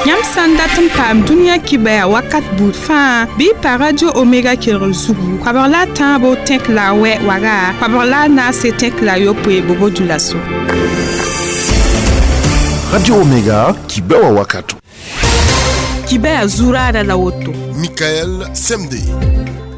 Yãmb sã n dat n paam dũniyã kibɛa wakat buud fãa bɩ y pa Radio Omega kelgr zugu koabg la a tãabo tẽk la a wɛ waga koabg la a naase tẽk la a yopoe bobo dulaso. Radio Omega, kibɛa wakato. Kibɛa zuraada la woto. Michael Semde.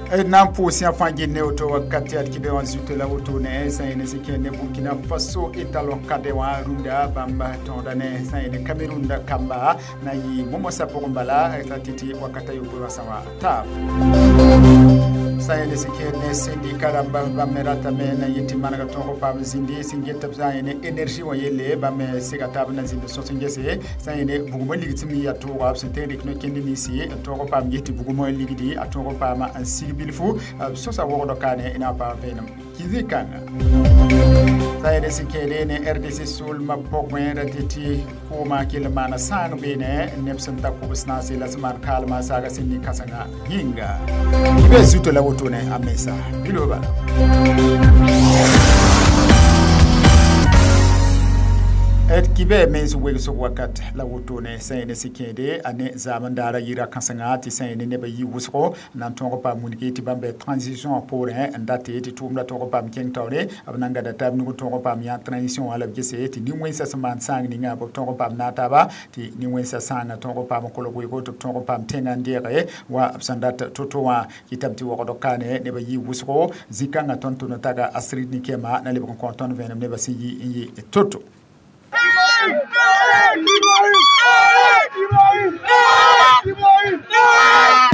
Nan pʋʋs yã fãa gil ne woto wakat yaa d kɩbe wã zuto la wotone sã n ne sẽn kẽ ne Burkina Faso étalon kade wã rũndã bãmb tõoda ne sã n ne Cameroun kamba na yɩ momosã pʋgẽ bala t'a tɩ wakata yopoe wã sã wã taab sã n ne sẽn kẽ ne syndicat rãmba bãmb me ratame na yet tɩ manega tõog paam zĩndi sẽn get b sã n ne énergie wã yelle bãmb me sega taab na zĩnd sõs n gese sã n ne bugmã ligd sẽn me yaa tooga b sẽn tõe n rɩk no-kẽnd ninsi n tõog paam ges tɩ bugmã ligdi a tõog paam n sig bilfu sõsa wogdɔ kaane na paam vẽenem kĩsi-kãnga sã n ne sẽn kẽede ne RDC soolmã pʋgẽ ra tɩ tɩ kʋʋmã kell n maana sãang beene neb sẽn ta kʋbs naase la sẽn maan kaalmã saaga sẽn nin-kãsengã yĩnga bɩ zuto la wotone a mensa bilo bala. D kibɛ mens wegsg wakat la wotone sã ne sẽn kẽede a ne zaam n daara yira kãsenga tɩ sã ne nebã yi wʋsgo na n tõog paam wilgi tɩ bãmb bɩ transition poorẽ n date tɩ tʋʋmda tõog paam kẽng taoore b na n gada taab nug tõog paam yã transition wã la b gese tɩ nin-wẽnsã sẽn maan sãang ninga b tõog paam naag taaba tɩ nin-wẽnsã sãangã tõog paam n kolg weego tɩ b tõog paam tẽngã n deege wa b sẽn dat to-to wã kɩtame tɩ wogdg kaane nebã yi wʋsgo zĩ-kãngã tõnd tʋm n taga Astrid Nikema na lebg n kõ tõnd vẽenem nebã sẽn yi n yɩ to-to.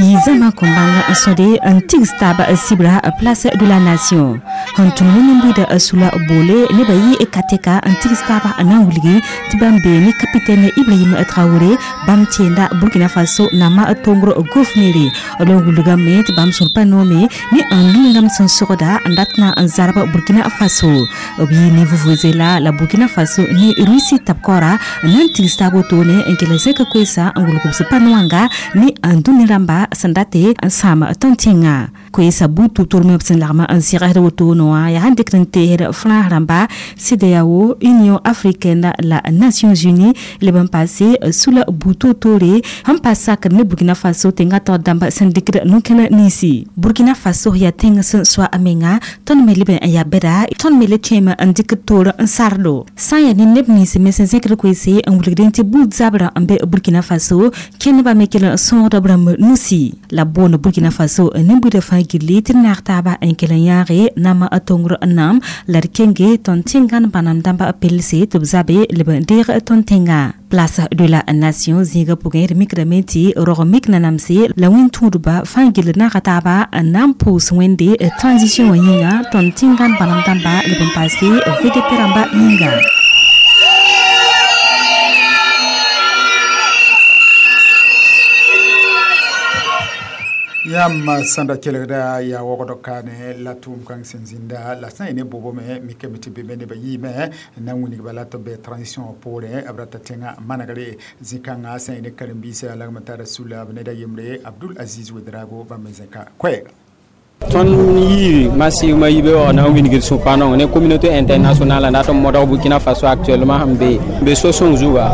Yizama kombanga sode n tigs taaba sibra Place de la Nation sẽn tũud ne nin-buida sula boole nebã yɩ katɛka n tigs taaba n na n wilgi tɩ bãmb bee ne capitaine Ibrahim Traoré bãmb tẽenda Burkina Faso nama tongr gofnere la n wilgame tɩ bãmb sũur pa noome ne n lingame sẽn sogda n dat na n zarb Burkina Faso b yɩ ne vuvuzela la Burkina Faso ne Russie tab-kaoora n na n tigs taab wotone n kell zẽk koeesa n wilg b sẽn pa ne n dũni rãmba sẽn date n sãam tõnd tẽngã koeesa buud tʋb-tʋrmẽ b sẽn lagm n sɩgsd wotone wã yaa sẽn dɩkd n teesd Frãns rãmba CEDEAO, Union africaine la Nations Unies leb n paase sula buud toor-toore sẽn pa sakd ne Burkina Faso tẽngã taoor dãmb sẽn dɩkd no-kẽn ninsi. Burkina Faso yaa tẽng sẽn soa a menga tõnd me leb n yaa bɛda tõnd me le tõeme n dɩkd toor n sardo sã n yaa ne neb nins me sẽn zẽkd koeese n wilgdẽ tɩ buud zabrã n be Burkina Faso kẽndbã me kell n sõogda b rãmb nusi la boond Burkina Faso nin-buidã fãa gilli tɩ d naag taaba n kell n yãage nama a tongr n nam la d kenge tõnd tẽngãn bãnam dãmba pelse tɩ b zabe leb n deeg tõnd tẽngã. Place de la Nation zĩigã pʋgẽ d mikdame tɩ rog mik nanamse la wẽn-tũudba fãa gill naaga taaba n na n pʋʋs Wẽnde transition wã yĩnga tõnd tẽngãn bãnam dãmba leb n paase VDP rãmba yĩnga. Yãmb sẽn da kelgda yaa wogdg kaane la tʋʋm kãng sẽn zĩnda la sã n ne bobame mikame tɩ be me nebã yɩɩme n na n wilg bala tɩ b be transition poorẽ b rata tẽngã manegre zĩ-kãngã sã n ne karen-biisã lagm n tara sula b ned a yembre Abdul Aziz Ouedraogo bãmb me zẽka koɛɛga. Tõnd yɩ massivement yibe wã na n wilgd sũ-pa-nong ne communauté internationale n dat n modg Burkina Faso actuellement sẽn be so-sõng zuga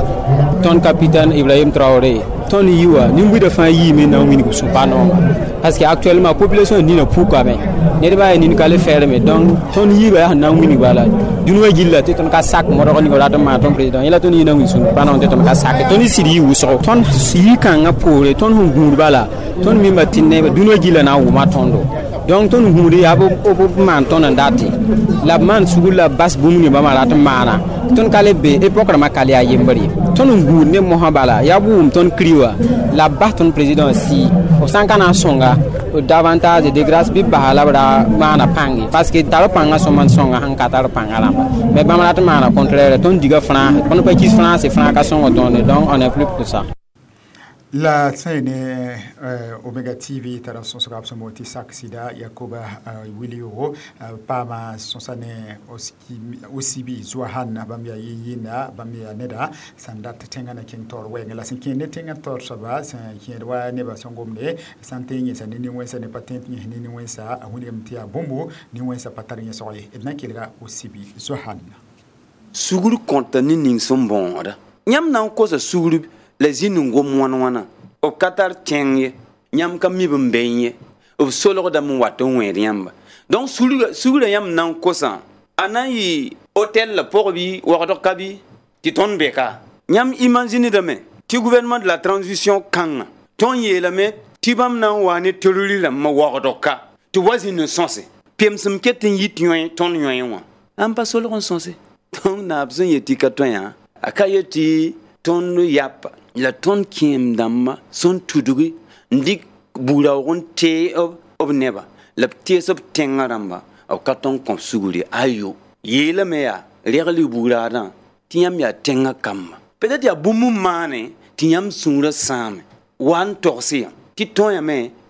tõnd capitaine Ibrahim Traoré tõnd yi wã nin-buidã fãa yiime na n wilg sũ-pa-nonga parce que actuellement population nina pukame ned baa yaa nin ka le fɛɛrme donc tõnd yiibã yaa sẽn na n wilg bala dũni wã gilla tɩ tõnd ka sak modg ning rat n maan tõnd président yẽla tõnd yɩ na n wilg sũ-pa-nong tɩ tõnd ka sake tõnd sɩd yɩ wʋsgo tõnd yi-kãngã poore tõnd sẽn gũud bala tõnd mimba tɩ neb dũni wã gilla na n wʋma tõndo donc tõnd gũud yaa b maan tõnd n date la b maan sugr la b bas bũmb ning bãmba rat n maana tõnd ka le be époque rãmbã ka le yaa yembr ye tõnd n gũud ne mosã bala yaa b wʋm tõnd kri wã la b bas tõnd président sii b sã n ka na n sõnga davantage de grâce bɩ b basa la b ra maana pãnge parce que tar pãngã sõma n sõnga sẽn ka tar pãngã rãmba mais bãmb rat n maana contraire tõnd diga Frãns tõnd pa kis Frãns Frãns ka sõng tõnd donc on est plus pour ça. La sã ne Omega TV tara sõsga b sẽn boond tɩ sak sɩda Yakoba Wilio paama sõsa ne Osibi Zoahan bãmb yaa yɩ-yɩnda bãmb yaa neda sẽn dat tẽngã na kẽng taoor wɛɛngẽ la sẽn kẽed ne tẽngã taoor soaba sẽn kẽed wa nebã sẽn gomde sã n tõe n yẽsa ne nin-wẽnsa ne pa tõe tɩ yẽs ne nin-wẽnsa a wilgame tɩ yaa bũmbu nin-wẽnsa pa tar yẽsg ye d na n kelga Osibi Zoahan. Sugr kõta ne ning sẽn bõoda yãmb na n kosa sugr La zĩnd n gom wãn wãna b ka tar tẽng ye yãmb ka mi b n be ye b solgdame n wat n wẽed yãmba donc sugrã yãmb na n kosã a na n yɩ hôtel la pʋg bɩ wagdg ka bɩ tɩ tõnd be ka yãmb imaginedame tɩ gouvernement de la transition kãngã tõnd yeelame tɩ bãmb na n wa ne terroriste rãmbã wagdg ka tɩ wa zĩnd n sõse pemsem ket n yit yõe tõnd yõe wã ãn pa solg n sõse donc naab sẽn yet tɩ ka tõe yã a ka yet tɩ tõnd yapa la tõnd kẽem dãmbã sẽn tudgi n dɩk bugraoog n tee b neba la b tees b tẽngã rãmba b ka tõnd kõ sugri ayo yeelame yaa regl bugraadã tɩ yãmb yaa tẽngã kamba peut-être yaa bũmb n maane tɩ yãmb sũurã sãame wa n togs yã tɩ tõe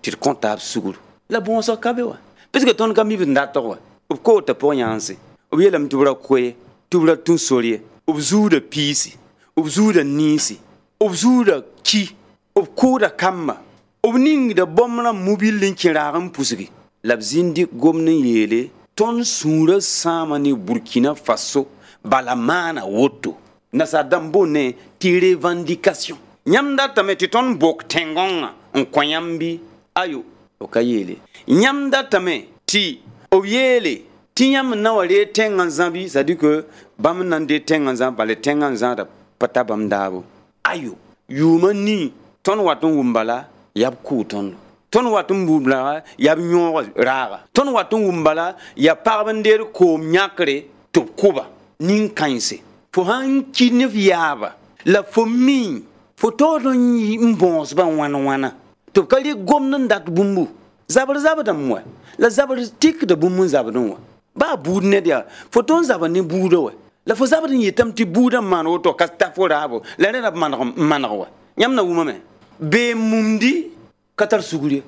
tɩ d kõ taab sugru la bõosg ka be wa parce que tõnd ka mi b n datg wa b koota pʋg yãanse b yeelame tɩ b ra koe tɩ b ra tũ sor ye b zuuda piisi b zuuda niisi b zuuda ki b kʋʋda kamba b ningda bõmb rã mobil n kẽ raag n pusgi la b zĩnd gomd n yeele tõnd sũurã sãama ne Burkina Faso bala maana woto nasaar dãmb boonne tɩ revendication yãmb datame tɩ tõnd bok tẽn-gõngã n kõ yãmb bɩ ayo b ka yeele yãmb datame tɩ b yeele tɩ yãmb na wa ree tẽngã zã bɩ c'est à dire que bãmb n na n dee tẽngã zã bala tẽngã zãada pa ta bãmb daabo ayo yʋʋmã nii tõnd wat n wʋm bala yaa b kʋʋ tõndo tõnd wat n wʋm bala yaa b yõog raaga tõnd wat n wʋm bala yaa pagb n deed koom yãkre tɩ b kʋba nin-kãense fo sãn ki ne f yaaba la fo mi fo taood n bõosbã wãn wãna tɩ b ka rɩ gomd n dat bũmbu zabr zabdame wa la zabr tikda bũmb n zabdẽ wã baa buud ned yaa fo tõnd zaba ne buudã wa la fo zabd n yetame tɩ buudã n maan woto ka ta fo raabo la rẽ la b maneg wa yãmb na wʋmame bee mumdi ka tar sugr ye.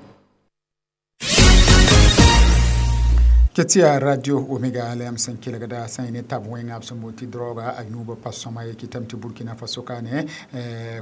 Ketia Radio Omega la yãmb sẽn kelgda sã n ne tab wẽnga b sẽn boond tɩ droga a yũubã pa sõma ye kɩtame tɩ Burkina Faso kane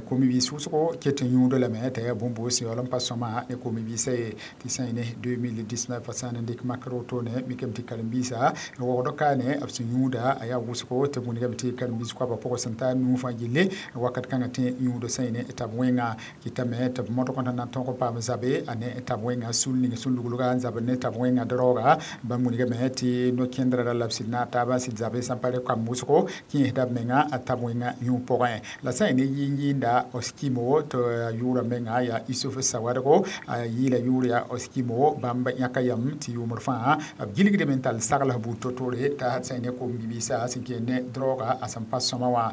komi-biis wʋsgo ket n yũud lame t'a yaa bũmb sẽn yaool n pa sõma ne komi-biisã ye tɩ sã n ne 2019 sã n dɩk makr wotone mikame tɩ karen-biisã wogd kane b sẽn yũuda a yaa wʋsgo tɩ b wilgame tɩ karen-biis koabã pʋgẽ sẽn taa nuu fãa gilli wakat kãngã tẽ yũud sã n ne tab wẽnga kɩtame tɩ b modg n na n tõg n paam zabe a ne tab wẽnga sul ning sẽn luglga n zabd ne tab wẽnga droga bãmb wilgame tɩ no-kẽndrã ra la b sɩd na taabã sɩd zabe sãn pa re kamb wʋsgo kẽesda b menga a tab wẽnga yũ pʋgẽ la sã n ne yɩɩn-yɩɩnda Oskimo tɩ a yʋʋra menga yaa Isuf Sawadgo a yɩɩla yʋʋr yaa Oskimo bãmb yãka yam tɩ yʋʋmd fãa b gilgdame n tall sagls buud to-tore t'a sã n ne kom-bibiisã sẽn kẽ ne droga a sẽn pa sõma wã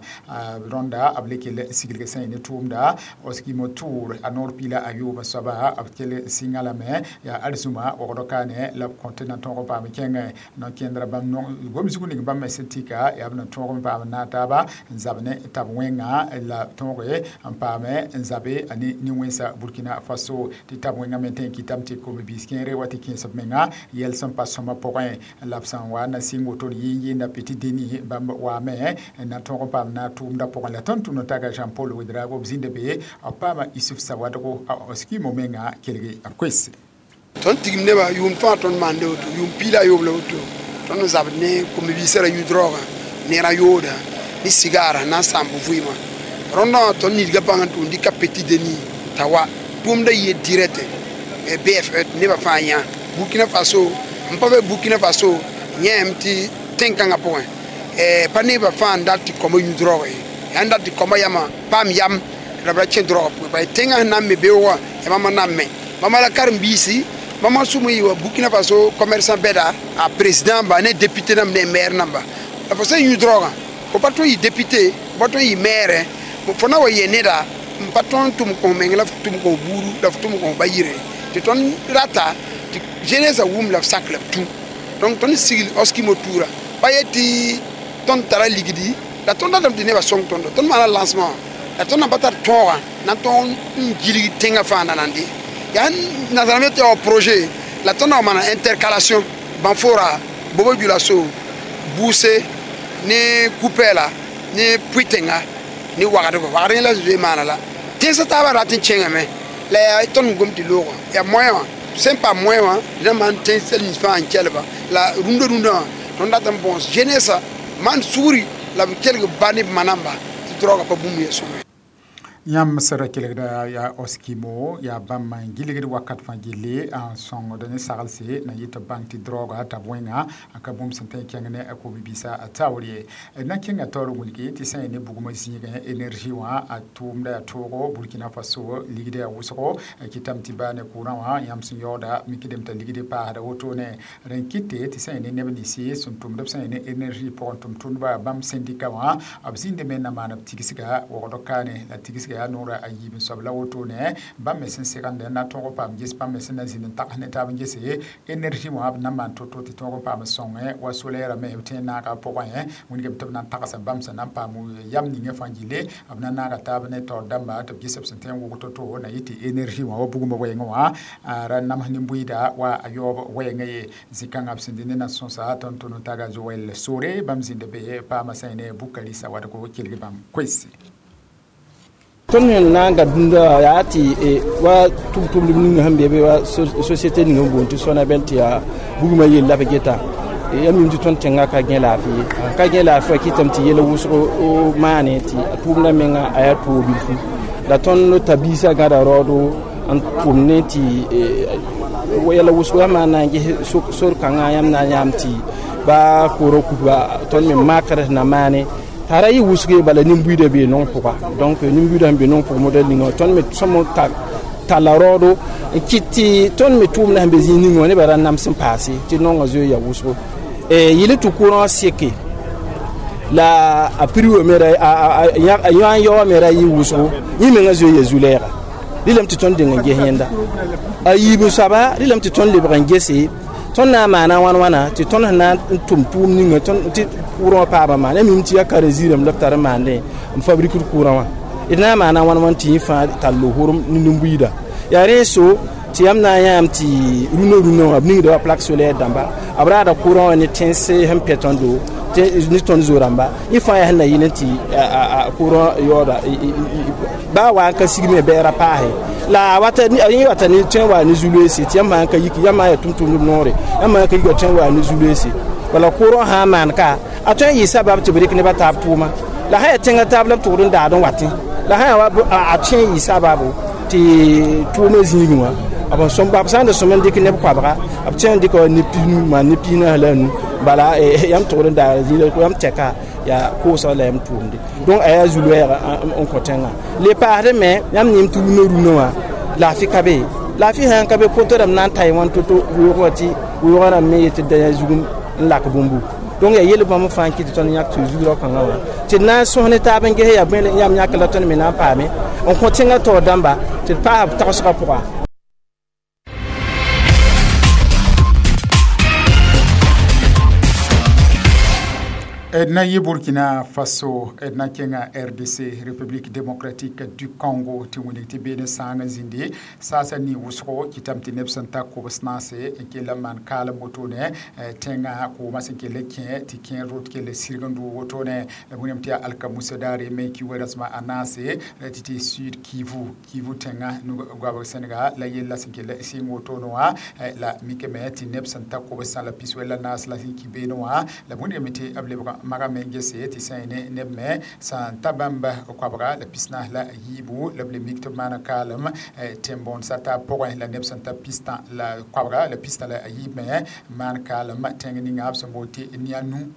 rõnda b le kell siglg sã n ne tʋʋmda Oskimo tʋʋr a noor piila a yoobã soaba b kell sɩngã lame yaa arzũma wogd kaane la b kõ tɩ na tõog n paam kẽngẽ no-kẽndrã bãmb gom zug ning bãmb me sẽn tika yaa b na tõog n paam na taaba n zab ne tab wẽnga la tõoge n paame n zabe a ne nin-wẽnsa Burkina Faso tɩ tab wẽnga me tõe n kɩtame tɩ kom-biis kẽere wa tɩ kẽes b menga yɛl sẽn pa sõma pʋgẽ la b sẽn wa na sɩng woto yɩɩn-yɩɩnda Petit Denis bãmb waame n na tõog n paam na tʋʋmda pʋgẽ la tõnd tʋmd n taga Jean Paul Ouedraogo b zĩnda be b paama Isuf Sawadgo a Oskimo menga kelge b koes. Tõnd tigim nebã yʋʋm fãa tõnd maande woto yʋʋm piila a yoob la woto tõnd n zabd ne kom-biisã ra yũ draoogã neerã yooda ne sigaarã na n sãamb vɩɩmã rõndã wã tõnd nidga bãng n tʋʋm dɩka Petit Denis t'a wa tʋʋmda yɩ direct BFE tɩ nebã fãa yã Burkina Faso n pa be Burkina Faso yẽem tɩ tẽn-kãngã pʋgẽ pa nebã fãa n dat tɩ kõma yũ draoogã ye yaa n dat tɩ kõma yamã paam yam la b ra kẽ draoogã pʋgẽ bala tẽngã sẽn na n me beoogã yaa bãmb n na n me bãmba la karen-biisi bãmba sʋm n yɩ wa Burkina Faso commerçant bɛda a président ba ne député namba ne maire namba la fo sẽn yũ draoogã fo pa tõe n yɩ député fo pa tõe n yɩ maire fo na wa yɛ neda n pa tõe n tʋm kõ meng la f tʋm kõ buudu la f tʋm kõ ba yire tɩ tõnd rata tɩ jeunesse wʋm la b sak la b tũ donc tõnd sigl Oskimo tuura pa yet tɩ tõnd tara ligdi la tõnd datame tɩ nebã sõng tõndo tõnd maana lancement la tõnd na pa tar tõogã na n tõog n gilg tẽngã fãa na nan de yaa nasaarã tɩ yaa projet la tõnd na wa maana intercalation Banfora Bobo Dioulasso Boussé ne Koupéla ne Pouytenga ne Ouagadougou wagd la zoe maana la tẽnsã taabã rat n kẽngame la yaa tõnd n gom tɩ loogã yaa moyen wã sẽn pa moyen wã dẽna maan tẽns nins fãa n kelba la rũndã rũndã wã tõnd dat n bõos jeunesse maan sugri la b kelg ba ne b ma namba tɩ draoogã pa bũmb ya sõma. Yãmb sẽd kelgda yaa oskimo yaa bãmb n gilgd wakat fãa gilli n sõngd ne saglse na yɩ tɩ bãng tɩ droga t'a wẽnga a ka bũmb sẽn tõe n kẽng ne a ko-bibiisã a taoor ye. Na kẽnga taoor wilgi tɩ sã n ne bugmã zĩigẽ énergie wã a tʋʋmda yaa toogo Burkina Faso ligd yaa wʋsgo kɩtame tɩ baa ne kʋʋrã wã yãmb sẽn yaooda mikdame t'a ligd paasda wotone. Rẽn kɩte tɩ sã n ne neb ninsi sẽn tʋmd b sã n ne énergie pʋgẽ tʋm-tʋmdba bãmb syndicat wã b zĩndame na maan b tigsga wogd kaane la tigsga yaa noora a yiib n soab la wotone bãmb me sẽn segende na tõog n paam ges bãmb me sẽn na zĩnd n tags ne taab n gese énergie wã b na n maan to-to tɩ tõog n paam sõngẽ wa solaire me b tẽ n naaga pʋgẽ wĩnigame tɩ b na n tagsa bãmb sẽn na n paam yam ninga fãa gille b na naaga taab ne taoor dãmba tɩ b ges b sẽn tõe n wʋg to-to na yɩ tɩ énergie wã wa bugmã wɛɛngẽ wã a ra nams nin-buiida wa a yaoob wɛɛngã ye. Zĩ-kãngã b sẽn dɩ ne na sõsa tõnd tʋm n taga Joel Sore bãmb zĩnd be paama sã ne Bukari Sawadgo kelg bãmb koɛɛse. Tõnd me na n gad dũnda yaa tɩ wa tʋm-tʋmdb ninga sẽn be be wa société ning n boond tɩ Sonabel tɩ yaa bugmã yell la b geta ya mim tɩ tõnd tẽngã ka gẽ laafɩ ye. Ka gẽ laafɩ wã kɩtame tɩ yɛl wʋsg maane tɩ a tʋʋmdã menga a yaa toog bilfu la tõnd tabiisã gãda raoodo n tʋm ne tɩ yɛla wʋsgo yãmb na n ges sor kãngã yãmb na n yãam tɩ ba koorã kuba tõnd me makr na maane t'a ra yɩ wʋsge bala nin-buiidã bee nong pʋga. Donc nin-buiidã sẽn be nong pʋg modɛl ninga tõnd me sõm talla raoodo n kɩt tɩ tõnd me tʋʋmdã sẽn be zĩig ninga wã nebã ra nams n paase tɩ nongã zoe yaa wʋsgo. Yɩl tɩ kʋʋrã seke la a prix wã me ra a yã n yaoowã me ra yɩ wʋsgo yẽ mengã zoe yaa zu-lɛɛga rɩlame tɩ tõnd deng n ges yẽnda. A yiib soaba rɩlame tɩ tõnd lebg n gese tõnd na n maana wãn wãna tɩ tõnd sẽn na n tʋm tʋʋm ninga tɩ kʋʋrã wã paama maan ya mim tɩ yaa karen-ziirame la b tar n maandẽ n fabrikd kʋʋrã wã d na n maana wãn wãn tɩ yẽ fãa tall horem ne nin-buiida. Yaa rẽ so tɩ yãmb na n yãam tɩ rũnã rũnã wã b ningda wa plaque solaire dãmba b raada kʋʋrã wã ne tẽns sẽn pɛ tõndo ne tõnd zo-rãmba yẽ fãa yaa sẽn na yɩl n tɩ kʋʋrã yaooda baa wa n ka sigme bɛɛra paase la wata yẽ wata ne tõe n wa ne zu-loeese tɩ yãmb sã n ka yik yãmb yaa tʋm-tʋmdb noore yãmb sã n ka yika tõe n wa ne zu-loeese bala kʋʋrã sã n maan ka a tõe n yɩ sabab tɩ b rɩk nebã taab tʋʋma la sã yaa tẽngã taab la b tʋgd n daad n watẽ la sã yaa a tõe n yɩ sababo tɩ tʋʋmã zĩigẽ wã b sõm b sã n da sõm n dɩk neb koabga b tõe n dɩka ne pinu maan ne piisã la a nu bala yãmb tʋgd n daara zĩig yãmb tɛka yaa koosg la yãmb tʋʋmde. Donc a yaa zu-loɛɛga n kõ tẽngã le paasdẽ me yãmb yẽm tɩ rũnã rũnã wã laafɩ ka be laafɩ sã n ka be poto rãmb na n ta wãn to-to weoog wã tɩ weoogã rãmb me yetɩ da yã zugum n lak bũmbu. Donc yaa yel bãmb fãa n kɩt tɩ tõnd yãk tɩ zugrao kãngã wã tɩ d na n sõs ne taab n ges yaa bõe yãmb yãk la tõnd me na n paame n kõ tẽngã taoor dãmba tɩ d paas b tagsgã pʋga. D na yɩ Burkina Faso d na kẽnga RDC République démocratique du Congo tɩ wilg tɩ beene sãang n zĩndi saasa nin wʋsgo kɩtame tɩ neb sẽn ta kobs naase n kell n maan kaalem wotone tẽngã koomã sẽn kell n kẽ tɩ kẽer rot kell sirg n dʋʋg wotone la wĩname tɩ yaa alkamusa daare me ki rasmã a naase tɩ tɩ Sud Kivu Kivu tẽngã goabg Sẽnega la yella sẽn kell n sɩng wotone wã la mikame tɩ neb sẽn ta kobsã la piswɛ la naas la sẽn ki beene wã la wĩname tɩ b lebg maga me n gese tɩ sã n ne neb me sã n ta bãmb koabga la pisnaas la yiibu la b le mik tɩ b maana kaalem tẽn-bõonesã taab pʋgẽ la neb sẽn ta pistã la koabga la pistã la yiib me maan kaalem tẽng ninga b sẽn boond tɩ Nianu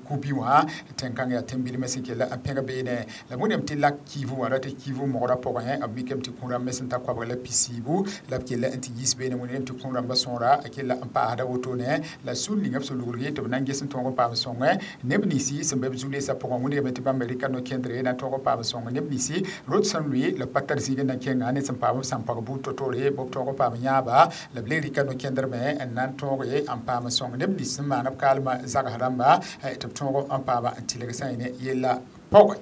Kubi wã tẽn-kãng yaa tẽn-bilmã sẽn kell n pẽg beene la wẽnnaam tɩ lak Kivu wã ra tɩ Kivu mogrã pʋgẽ b mikame tɩ kũ-rãmb me sẽn ta koabga la pisiibu la b kell n tɩ yiis beene wẽnnaam tɩ kũ-rãmbã sõora a kell n paasda wotone la sũur ninga b sẽn luglge tɩ b na n ges n tõog n paam sõngẽ neb ninsi sẽn be b zu-leesã pʋgẽ wĩnigame tɩ bãmb rɩka no-kẽndre na tõog n paam sõng neb ninsi rot sẽn lʋɩ la pa tar zĩig n na kẽnga ne sẽn paam b sãn-pag buud to-toore b tõog n paam yãaba la b le rɩka no-kẽndr me n na n tõoge n paam sõng neb nins sẽn maan b kaalmã zags rãmba tɩ b tõog n paama n tɩlg sã n ne yella pʋgẽ.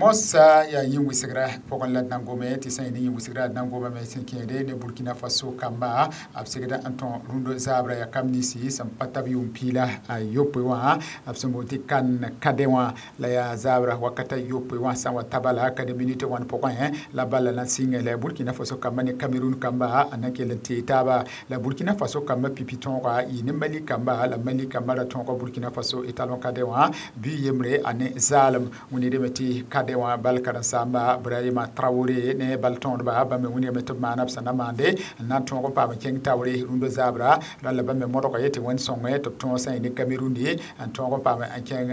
Mosa yaa yĩn-wɩsgrã pʋgẽ la d na n gome tɩ sã n yɩ ne yĩn-wɩsgrã d na n gomame sẽn kẽede ne Burkina Faso kamba b segda n tõ rũndã zaabra yaa kam ninsi sẽn pa tab yʋʋm piila a yopoe wã b sẽn boond tɩ kan kade wã la yaa zaabra wakata yopoe wã sã n wa ta bala ka ne minit wãn pʋgẽ la bala na n sɩngẽ la Burkina Faso kamba ne Cameroun kamba a na n kell n tee taaba la Burkina Faso kamba pipi tõoga yɩ ne Mali kamba la Mali kamba ra tõoga Burkina Faso étalon kade wã bɩ yembre a ne zaalem wĩnirame tɩ kade wã bal karen-saamba Brahima Traoré ne bal tõodba bãmb me wĩnigame tɩ b maana b sẽn na maande n na n tõog n paam n kẽng taoore rũndã zaabra rãlla bãmb me modga ye tɩ wẽnd sõngẽ tɩ b tõog sã n yɩ ne Cameroun ye n tõog n paam n kẽng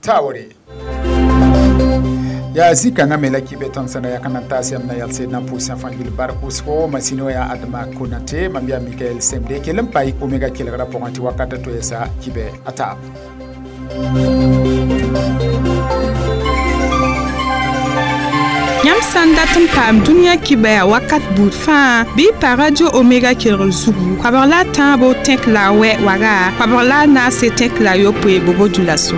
taoore yaa zĩ-kãngã me la kɩ tõnd sẽn da yak n na n taas yãmb na yals d na n pʋʋs fãa gill bark wʋsgo masino yaa Adama Konate mam yaa Mikael Semde kell n pa Omega kelgrã pʋgẽ tɩ wakata toɛɛsa kibɛ a taab. Yãmb sã n dat n paam dũniyã kibɛa wakat buud fãa bɩ y pa Radio Omega kelgr zugu koabg la a tãabo tẽk la a wɛ waga koabg la a naase tẽk la a yopoe bobo dioulasso.